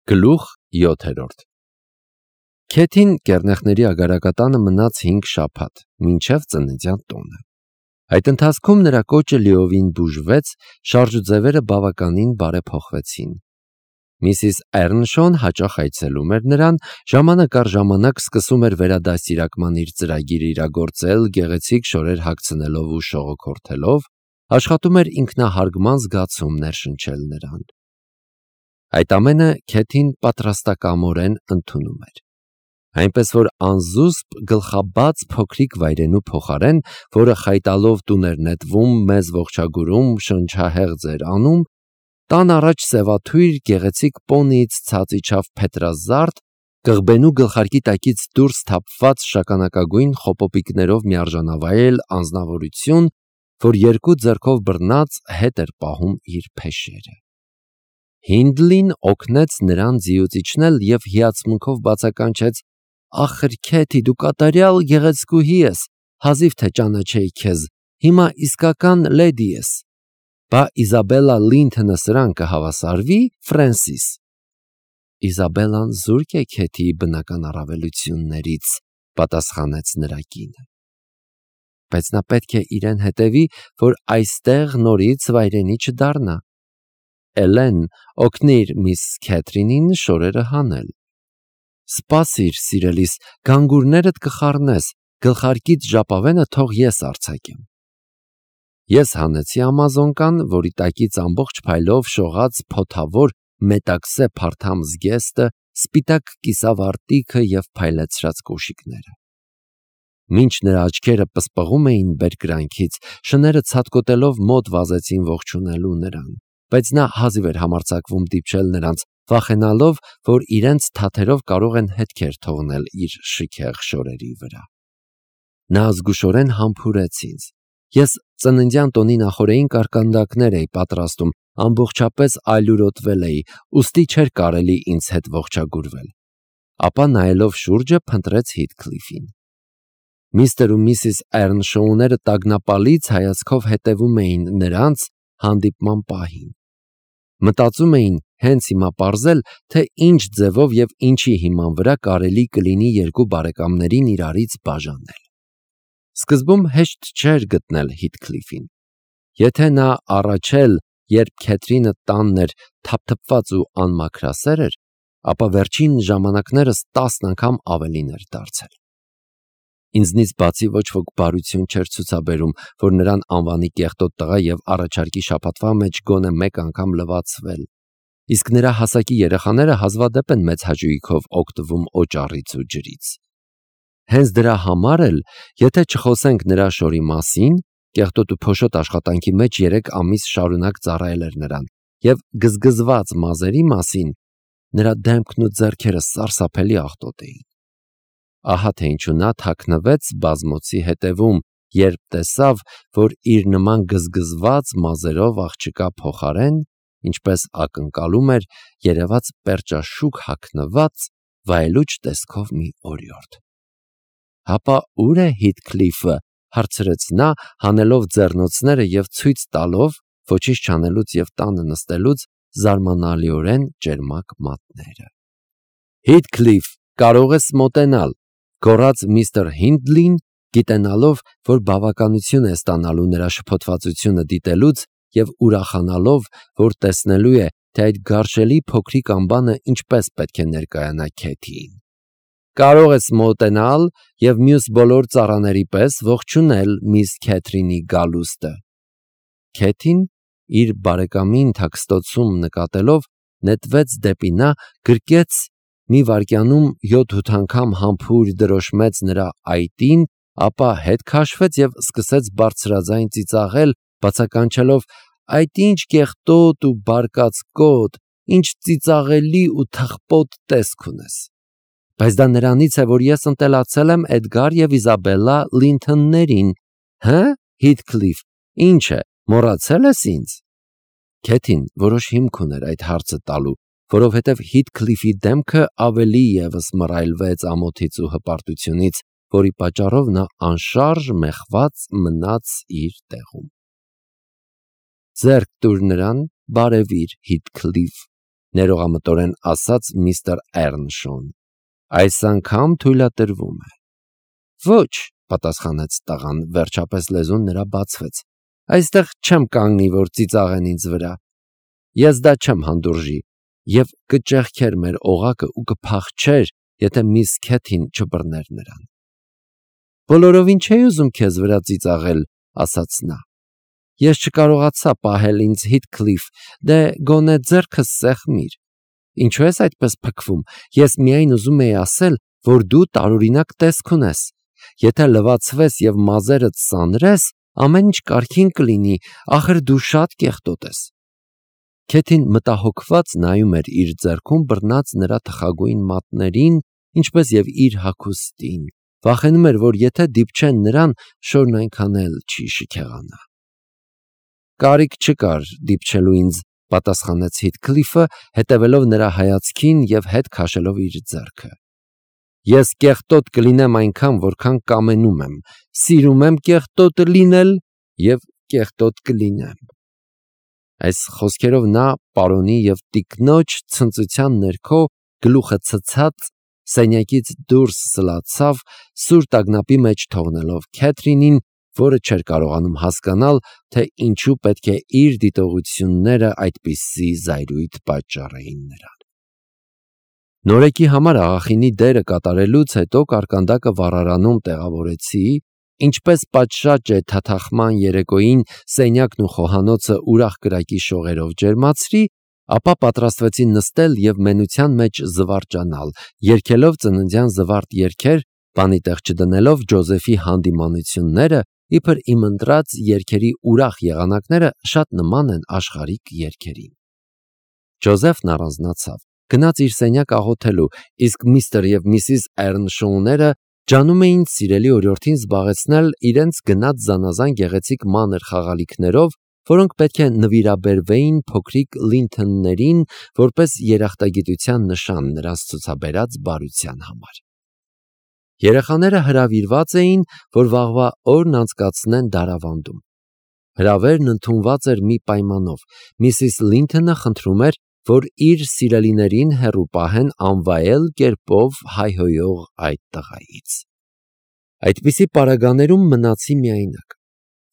Գլուխ 7. Քեթին կեռնեխների ագարակատանը մնաց 5 շաբաթ, մինչև ծննդյան տոնը։ Այդ ընթացքում նրա կոճը լիովին բուժվեց, շարժուձևերը բավականին բարեփոխվեցին։ Միսիս Էռնշոն հաճախ այցելում էր նրան, ժամանակ առ ժամանակ սկսում էր վերադաստիարակման իր ծրագիրը իրագործել, գեղեցիկ շորեր հագցնելով ու շողոքորթելով, աշխատում էր ինքնահարգման զգացում ներշնչել նրան։ Այդ ամենը Քեթին պատրաստակամորեն ընդունում էր։ Այնպես որ անզուսպ գլխաբաց փոքրիկ վայրենու փոխարեն, որը խայտալով տուն էր նետվում, մեզ ողջագուրում, շնչահեղձ էր անում, տան առաջ սևաթույր գեղեցիկ պոնիից ցած իջավ փետրազարդ, կղբենու գլխարկի տակից դուրս թափված շագանակագույն խոպոպիկներով միարժանավայել անձնավորություն, որ երկու ձեռքով բռնած հետ էր պահում իր փեշերը։ Հինդլին օգնեց նրան ձիուց իջնել և հիացմունքով բացականչեց. «Ախր Քեթի, դու կատարյալ գեղեցկուհի ես, հազիվ թե ճանաչեի քեզ, հիմա իսկական լեդի ես։ Բա Իզաբելլա Լինթոնը սրան կհավասարվի, Ֆրենսիս»։ Իզաբելլան զուրկ է Քեթիի բնական առավելություններից, պատասխանեց նրա կինը։ Բայց նա պետք է իրեն հետևի, որ այստեղ նորից վայրենի չդառնա։ Էլեն, օգնիր միս Քեթրինին շորերը հանել։ Սպասիր, սիրելիս, գանգուրներդ կխառնես, գլխարկից ժապավենը թող ես արձակեմ։ Ես հանեցի ամազոնկան, որի տակից ամբողջ փայլով շողաց փոթավոր մետաքսե փարթամ զգեստը, սպիտակ կիսավարտիքը և փայլեցրած կոշիկները։ Մինչ նրա աչքերը պսպղում էին բերկրանքից, շները ցատկոտելով մոտ վազեցին ողջունելու նրան, բայց նա հազիվ էր համարձակվում դիպչել նրանց, վախենալով, որ իրենց թաթերով կարող են հետքեր թողնել իր շքեղ շորերի վրա։ Նա զգուշորեն համբուրեց ինձ։ Ես ծննդյան տոնի նախօրեին կարկանդակներ էի պատրաստում, ամբողջապես այլուրոտվել էի, ուստի չէր կարելի ինձ հետ ողջագուրվել։ Ապա նայելով շուրջը փնտրեց Հիթքլիֆին։ Միստր ու Միսիս Էռնշոուները տագնապալից հայացքով հետևում էին նրանց հանդիպման պահին։ Մտածում էին հենց հիմա պարզել, թե ինչ ձևով և ինչի հիման վրա կարելի կլինի երկու բարեկամներին իրարից բաժանել։ Սկզբում հեշտ չէր գտնել Հիթքլիֆին։ Եթե նա առաջ էլ, երբ Քեթրինը տանն էր, թափթփված ու անմաքրասեր էր, ապա վերջին ժամանակներս 10 անգամ ավելին էր դարձել։ Ինձնից բացի ոչ ոք բարություն չէր ցուցաբերում, որ նրան անվանի կեղտոտ տղա և առաջարկի շաբաթվա մեջ գոնե մեկ անգամ լվացվել, իսկ նրա հասակի երեխաները հազվադեպ են մեծ հաճույքով օգտվում օճառից ու ջրից։ Հենց դրա համար էլ, եթե չխոսենք նրա շորի մասին, կեղտոտ ու փոշոտ աշխատանքի մեջ 3 ամիս շարունակ ծառայել էր նրան, և գզգզված մազերի մասին, նրա դեմքն ու ձեռքերը սարսափելի աղտոտ էին։ Ահա թե ինչու նա թաքնվեց բազմոցի հետևում, երբ տեսավ, որ իր նման գզգզված մազերով աղջկա փոխարեն, ինչպես ակնկալում էր, երևաց պերճաշուք հագնված, վայելուչ տեսքով մի օրիորդ։ Հապա ուր է Հիթքլիֆը, հարցրեց նա, հանելով ձեռնոցները և ցույց տալով, ոչինչ չանելուց և տանը նստելուց, զարմանալիորեն ճերմակ մատները։ Հիթքլիֆ, կարող ես մոտենալ, գոռաց միստր Հինդլին, գիտենալով, որ բավականություն է ստանալու նրա շփոթվածությունը դիտելուց և ուրախանալով, որ տեսնելու է, թե այդ գարշելի փոքրիկ ամբանը ինչպես պետք է ներկայանա Քեթիին։ Կարող ես մոտենալ և մյուս բոլոր ծառաների պես ողջունել միս Քեթրինի գալուստը։ Քեթին, իր բարեկամին թաքստոցում նկատելով, նետվեց դեպի նա, գրկեց, մի վայրկյանում 7-8 անգամ համբույր դրոշմեց նրա այտին, ապա հետ քաշվեց և սկսեց բարձրաձայն ծիծաղել, բացականչելով. «Այդ ինչ կեղտոտ ու բարկած կոտ, ինչ ծիծաղելի ու թխպոտ տեսք ունես։ Բայց դա նրանից է, որ ես ընտելացել եմ Էդգար և Իզաբելլա Լինթոններին, հը՞, Հիթքլիֆ, ինչ է, մոռացել ես ինձ»։ Քեթին որոշ հիմք ուներ այդ հարցը տալու, որովհետև Հիթքլիֆի դեմքը ավելի ևս մռայլվեց ամոթից ու հպարտությունից, որի պատճառով նա անշարժ մեխված մնաց իր տեղում։ Ձեռք տուր նրան, բարևիր, Հիթքլիֆ, ներողամտորեն ասաց միստր Էռնշոուն։ Այս անգամ թույլատրվում է։ Ոչ, պատասխանեց տղան, վերջապես լեզուն նրա բացվեց։ Այստեղ չեմ կանգնի, որ ծիծաղեն ինձ վրա։ Ես դա չեմ հանդուրժի, եւ կճեղքեր մեր օղակը ու կփախչեր, եթե միս Քեթին չբռներ նրան։ Բոլորովին չէի ուզում քեզ վրա ծիծաղել, ասաց նա։ Ես չկարողացա պահել ինձ Հիթքլիֆ, դե գոնե ձեռքս սեղմիր։ Ինչու ես այդպես փքվում։ Ես միայն ուզում էի ասել, որ դու տարօրինակ տեսք ունես։ Եթե լվացվես եւ մազերդ սանրես, ամեն ինչ կարգին կլինի, ախր դու շատ կեղտոտ ես։ Քեթին մտահոգված նայում էր իր ձեռքում բռնած նրա թխագույն մատներին, ինչպես եւ իր հագուստին։ Վախենում էր, որ եթե դիպչեն նրան, շորն այնքան էլ չի շքեղանա։ Կարիք չկար դիպչելու ինձ, պատասխանեց Հիթքլիֆը, հետևելով նրա հայացքին եւ հետ քաշելով իր ձեռքը։ Ես կեղտոտ կլինեմ այնքան, որքան կամենում եմ, սիրում եմ կեղտոտ լինել եւ կեղտոտ կլինեմ։ Այս խոսքերով նա պարոնի եւ տիկնոջ ցնծության ներքո գլուխը ցցած սենյակից դուրս սլացավ, սուր տագնապի մեջ թողնելով Քեթրինին, որը չէր կարողանում հասկանալ, թե ինչու պետք է իր դիտողությունները այդպիսի զայրույթ պատճառեին նրան։ Նորեկի համար աղախինի դերը կատարելուց հետո կարկանդակը վառարանում տեղավորեցի, ինչպես պատշաճ է թաթախման երեկոյին սենյակն ու խոհանոցը ուրախ կրակի շողերով ջերմացրի, ապա պատրաստվեցի նստել եւ մենության մեջ զվարճանալ, երգելով ծննդյան զվարթ երգեր, բանի տեղ չդնելով Ջոզեֆի հանդիմանությունները, իբր իմ ընտրած երգերի ուրախ եղանակները շատ նման են աշխարհիկ երգերին։ Ջոզեֆն առանձնացավ, գնաց իր սենյակ աղոթելու, իսկ միստր եւ միսիս Էռնշոուները ջանում էին սիրելի օրիորդին զբաղեցնել իրենց գնած զանազան գեղեցիկ մանր խաղալիքներով, որոնք պետք է նվիրաբերվեին փոքրիկ Լինթոններին որպես երախտագիտության նշան նրանց ցուցաբերած բարության համար։ Երեխաները հրավիրված էին, որ վաղվա օրն անցկացնեն դարավանդում։ Հրավերն ընդունված էր մի պայմանով. Միսիս Լինթոնը խնդրում էր, որ իր սիրելիներին հեռու պահեն անվայել կերպով հայհոյող այդ տղայից։ Այդպիսի պարագաներում մնացի միայնակ։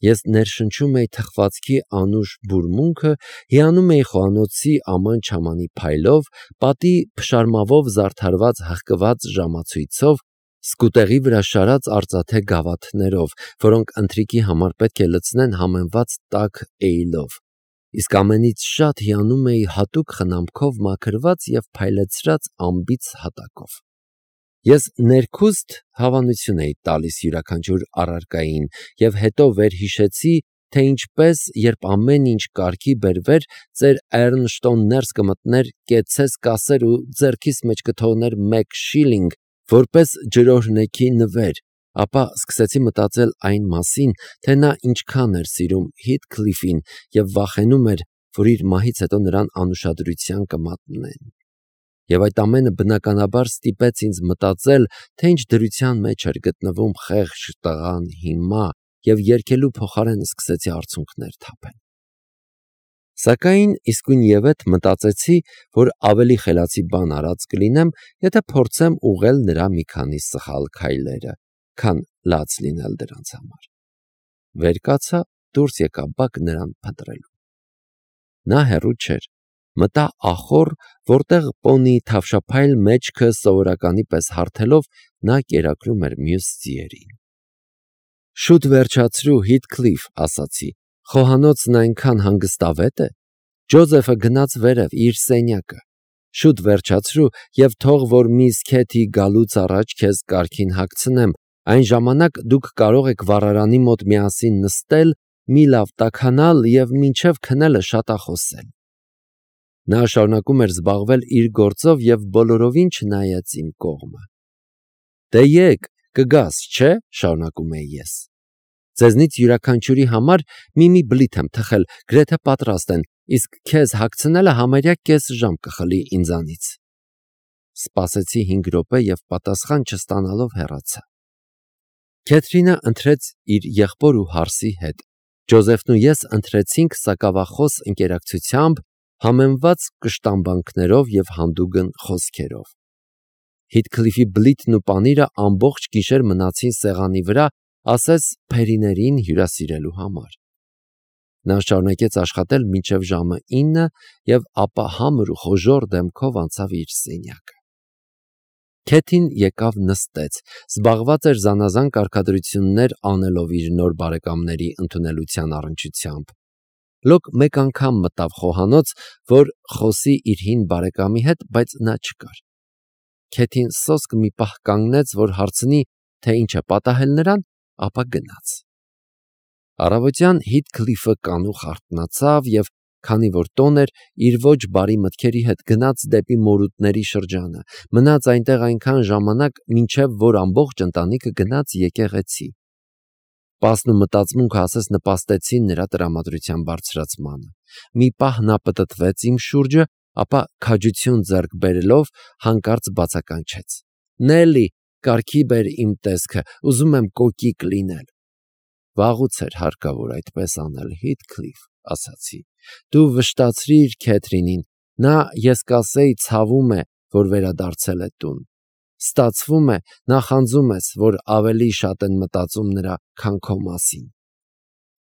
Ես ներշնչում էի թխվածքի անուշ բուրմունքը, հիանում էի խոհանոցի աման-չամանի փայլով, պատի փշարմավով զարդարված հղկված ժամացույցով, սկուտեղի վրա շարած արծաթե գավաթներով, որոնք ընթրիքի համար պետք է լցնեն համեմված տաք էյլով, իսկ ամենից շատ հիանում էի հատուկ խնամքով մաքրված եւ փայլեցրած ամբից հատակով։ Ես ներքուստ հավանություն էի տալիս յուրաքանչյուր առարկային եւ հետո վերհիշեցի, թե ինչպես, երբ ամեն ինչ կարգի բերվեր, ծեր Էռնշտոն ներս կմտներ, կեցես կասեր ու ձեռքիս մեջ կթողներ 1 շիլինգ, որպես ջրօրհնեքի նվեր, ապա սկսեցի մտածել այն մասին, թե նա ինչքան էր սիրում Հիթքլիֆին եւ վախենում էր, որ իր մահից հետո նրան անուշադրության կմատնեն։ Եվ այդ ամենը բնականաբար ստիպեց ինձ մտածել, թե ինչ դրության մեջ էր գտնվում խեղճ տղան հիմա, եւ երգելու փոխարեն սկսեցի արցունքներ թափել։ Սակայն իսկույնևեթ մտածեցի, որ ավելի խելացի բան արած կլինեմ, եթե փորձեմ ուղղել նրա մի քանի սխալ քայլերը, քան լաց լինել դրանց համար։ Վեր կացա, դուրս եկա բակ նրան փնտրելու։ Նա հեռու չէր, մտա ախոր, որտեղ պոնի թավշափայլ մեջքը սովորականի պես հարթելով նա կերակրում էր մյուս ձիերին։ Շուտ վերջացրու, Հիթքլիֆ, ասացի, խոհանոցն այնքան հանգստավետ է։ Ջոզեֆը գնաց վերև իր սենյակը։ Շուտ վերջացրու եւ թող որ միս Քեթի գալուց առաջ քեզ կարգին հագցնեմ, այն ժամանակ դուք կարող եք վառարանի մոտ միասին նստել, մի լավ տաքանալ եւ մինչեւ քնելը շատախոսել։ Նա շարունակում էր զբաղվել իր գործով եւ բոլորովին չնայեց իմ կողմը։ Դե եկ, կգաս, չէ՞, շարունակում էի ես։ Ձեզնից յուրաքանչյուրի համար մի բլիթ եմ թխել, գրեթե պատրաստ են, իսկ քեզ հագցնելը համարյա կես ժամ կխլի ինձանից։ Սպասեցի 5 րոպե եւ պատասխան չստանալով հեռացա։ Քեթրինը ընտրեց իր եղբոր ու հարսի հետ։ Ջոզեֆն ու ես ընտրեցինք սակավախոս ընկերակցությամբ համեմված կշտամբանքներով և հանդուգն խոսքերով։ Հիթքլիֆի բլիթն ու պանիրը ամբողջ գիշեր մնացին սեղանի վրա, ասես փերիներին հյուրասիրելու համար։ Նա շարունակեց աշխատել մինչև ժամը 9 և ապա համր ու խոժոռ դեմքով անցավ իր սենյակը։ Քեթին եկավ նստեց, զբաղված էր զանազան կարգադրություններ անելով իր նոր բարեկամների ընդունելության առնչությամբ։ Լոկ մեկ անգամ մտավ խոհանոց, որ խոսի իր հին բարեկամի հետ, բայց նա չկար։ Քեթին սոսկ մի պահ կանգնեց, որ հարցնի, թե ինչ է պատահել նրան, ապա գնաց։ Առավոտյան Հիթքլիֆը կանուխ արթնացավ և, քանի որ տոն էր, իր ոչ բարի մտքերի հետ գնաց դեպի մորուտների շրջանը, մնաց այնտեղ այնքան ժամանակ, մինչև որ ամբողջ ընտանիքը գնաց եկեղեցի։ Սպասն ու մտածմունքը ասես նպաստեցին նրա տրամադրության բարձրացմանը։ Մի պահ նա պտտվեց իմ շուրջը, ապա քաջություն ձեռք բերելով հանկարծ բացականչեց. «Նելի, կարգի բեր իմ տեսքը, ուզում եմ կոկիկ լինել»։ Վաղուց էր հարկավոր այդպես անել, Հիթքլիֆ, ասացի։ Դու վշտացրիր Քեթրինին, նա, ես կասեի, ցավում է, որ վերադարձել է տուն։ Ստացվում է, նախանձում ես, որ ավելի շատ են մտածում նրա, քան քո մասին։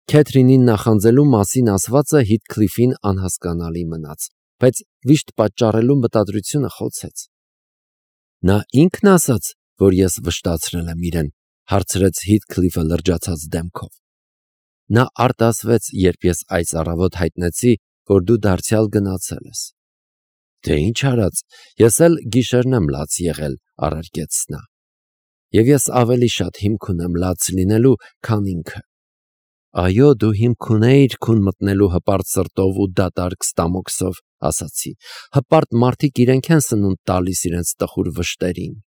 Քեթրինին նախանձելու մասին ասվածը Հիթքլիֆին անհասկանալի մնաց, բայց վիշտ պատճառելու մտադրությունը խոցեց։ Նա ինքն ասաց, որ ես վշտացրել եմ իրեն, հարցրեց Հիթքլիֆը լրջացած դեմքով։ Նա արտասվեց, երբ ես այս առավոտ հայտնեցի, որ դու դարձյալ գնացել ես։ Դե ինչ արած, ես էլ գիշերն եմ լաց եղել, առարկեց նա։ Եվ ես ավելի շատ հիմք ունեմ լաց լինելու, քան ինքը։ Այո, դու հիմք ունեիր քուն մտնելու հպարտ սրտով ու դատարկ ստամոքսով, ասացի։ Հպարտ մարդիկ իրենք են սնունդ տալիս իրենց տխուր վշտերին։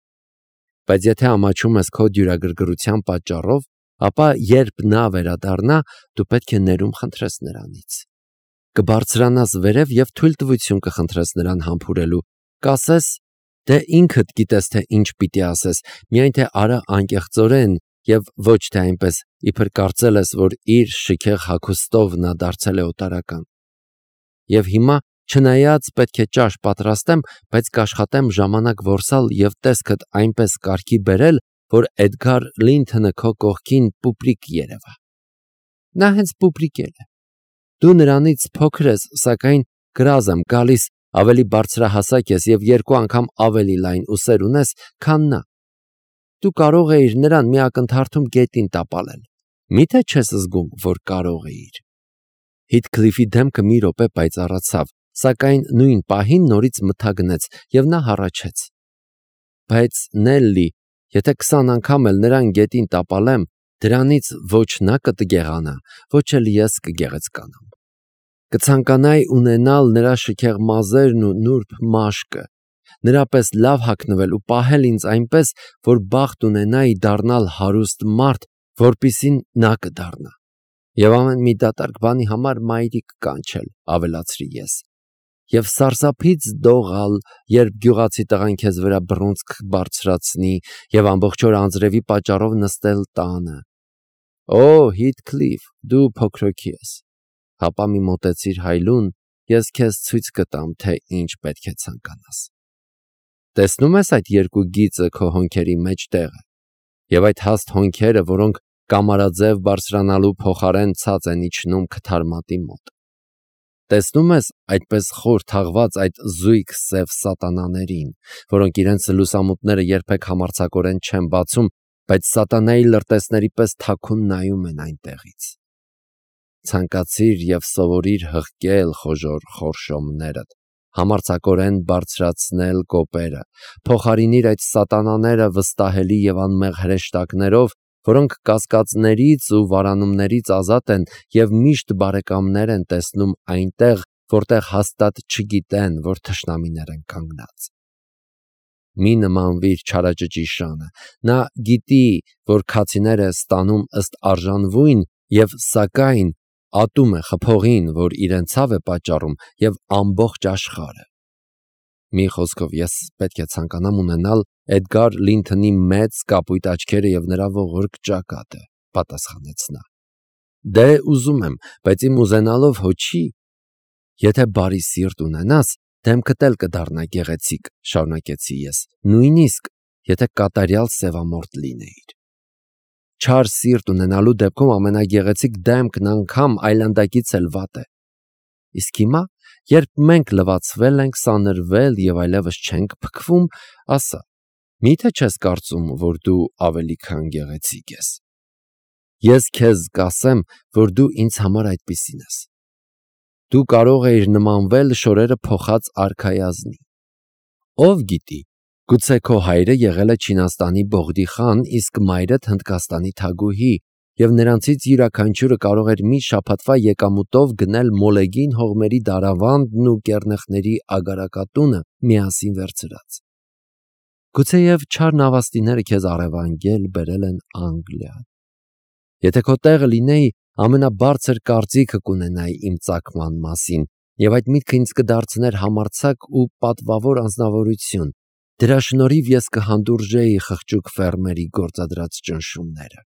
Բայց եթե ամաչում ես քո դյուրագրգռության պատճառով, ապա երբ նա վերադառնա, դու պետք է ներում խնդրես նրանից։ Կբարձրանաս վերև և թույլտվություն կխնդրես նրան համբուրելու, կասես, դե ինքդ գիտես, թե ինչ պիտի ասես, միայն թե արա անկեղծորեն և ոչ թե այնպես, իբր կարծել ես, որ իր շքեղ հագուստով նա դարձել է օտարական։ Եվ հիմա, չնայած պետք է ճաշ պատրաստեմ, բայց կաշխատեմ ժամանակ որսալ և տեսքդ այնպես կարգի բերել, որ Էդգար Լինթոնը քո կողքին պուպրիկ երևա։ Նա հենց պուպրիկ է։ Դու նրանից փոքր ես, սակայն կրազ եմ գալիս, ավելի բարձրահասակ ես և 2 անգամ ավելի լայն ուսեր ունես, քան նա։ Դու կարող էիր նրան մի ակնթարթում գետին տապալել։ Մի՞թե չես զգում, որ կարող էիր։ Հիթքլիֆի դեմքը մի րոպե պայծառացավ, սակայն նույն պահին նորից մթագնեց և նա հառաչեց։ Բայց Նելլի, եթե 20 անգամ էլ նրան գետին տապալեմ, դրանից ոչ նա կտգեղանա, ոչ էլ ես կգեղեցկանամ։ Կցանկանայի ունենալ նրա շքեղ մազերն ու նուրբ մաշկը, նրա պես լավ հագնվել ու պահել ինձ այնպես, որ բախտ ունենայի դառնալ հարուստ մարդ, որպիսին նա կդառնա։ Եվ ամեն մի դատարկ բանի համար մայրիկ կանչել, ավելացրի ես։ Եվ սարսափից դողալ, երբ գյուղացի տղան քեզ վրա բռունցք բարձրացնի և ամբողջ օր անձրևի պատճառով նստել տանը։ Օ, Հիթքլիֆ, դու փոքրոքի ես։ Հապա մի մոտեցիր հայլուն, ես քեզ ցույց կտամ, թե ինչ պետք է ցանկանաս։ Տեսնում ես այդ 2 գիծը քո հոնքերի մեջ տեղը, և այդ հաստ հոնքերը, որոնք կամարաձև բարձրանալու փոխարեն ցած են իջնում քթարմատի մոտ։ Տեսնում ես այդպես խոր թաղված այդ զույգ սև սատանաներին, որոնք իրենց լուսամուտները երբեք համարձակորեն չեն բացում, բայց սատանայի լրտեսների պես թաքուն նայում են այնտեղից։ Ցանկացիր և սովորիր հղկել խոժոռ խորշոմներդ, համարձակորեն բարձրացնել կոպերը, փոխարինիր այդ սատանաները վստահելի և անմեղ հրեշտակներով, որոնք կասկածներից ու վարանումներից ազատ են և միշտ բարեկամներ են տեսնում այնտեղ, որտեղ հաստատ չգիտեն, որ թշնամիներ են կանգնած։ Մի նմանվիր չարաճճի շանը, նա գիտի, որ քացիներ է ստանում ըստ արժանվույն և սակայն ատում է խփողին, որ իրեն ցավ է պատճառում և ամբողջ աշխարհը։ Մի խոսքով, ես պետք է ցանկանամ ունենալ Էդգար Լինթոնի մեծ կապույտ աչքերը և նրա ողորկ ճակատը, պատասխանեց նա։ Դե ուզում եմ, բայց իմ ուզենալով հո չի։ Եթե բարի սիրտ ունենաս, դեմքդ էլ կդառնա գեղեցիկ, շարունակեցի ես, նույնիսկ եթե կատարյալ սևամորթ լինեիր։ Չար սիրտ ունենալու դեպքում ամենագեղեցիկ դեմքն անգամ այլանդակից էլ վատ է։ Իսկ հիմա, երբ մենք լվացվել ենք, սանրվել և այլևս չենք փքվում, ասա, միթե չես կարծում, որ դու ավելի քան գեղեցիկ ես։ Ես քեզ կասեմ, որ դու ինձ համար այդպիսին ես։ Դու կարող էիր նմանվել շորերը փոխած արքայազնի։ Ով գիտի, գուցե քո հայրը եղել է Չինաստանի Բողդի խան, իսկ մայրդ Հնդկաստանի Թագուհի, և նրանցից յուրաքանչյուրը կարող էր մի շաբաթվա եկամուտով գնել մոլեգին հողմերի դարավանդն ու կեռնեխների ագարակատունը միասին վերցրած։ Գուցեև չար նավաստիները քեզ առևանգել բերել են Անգլիա։ Եթե քո տեղը լինեի, ամենաբարձր կարծիքը կունենայի իմ ծագման մասին, և այդ միտքը ինձ կդարձներ համարձակ ու պատվավոր անձնավորություն, դրա շնորհիվ ես կհանդուրժեի խղճուկ ֆերմերի գործադրած ճնշումները։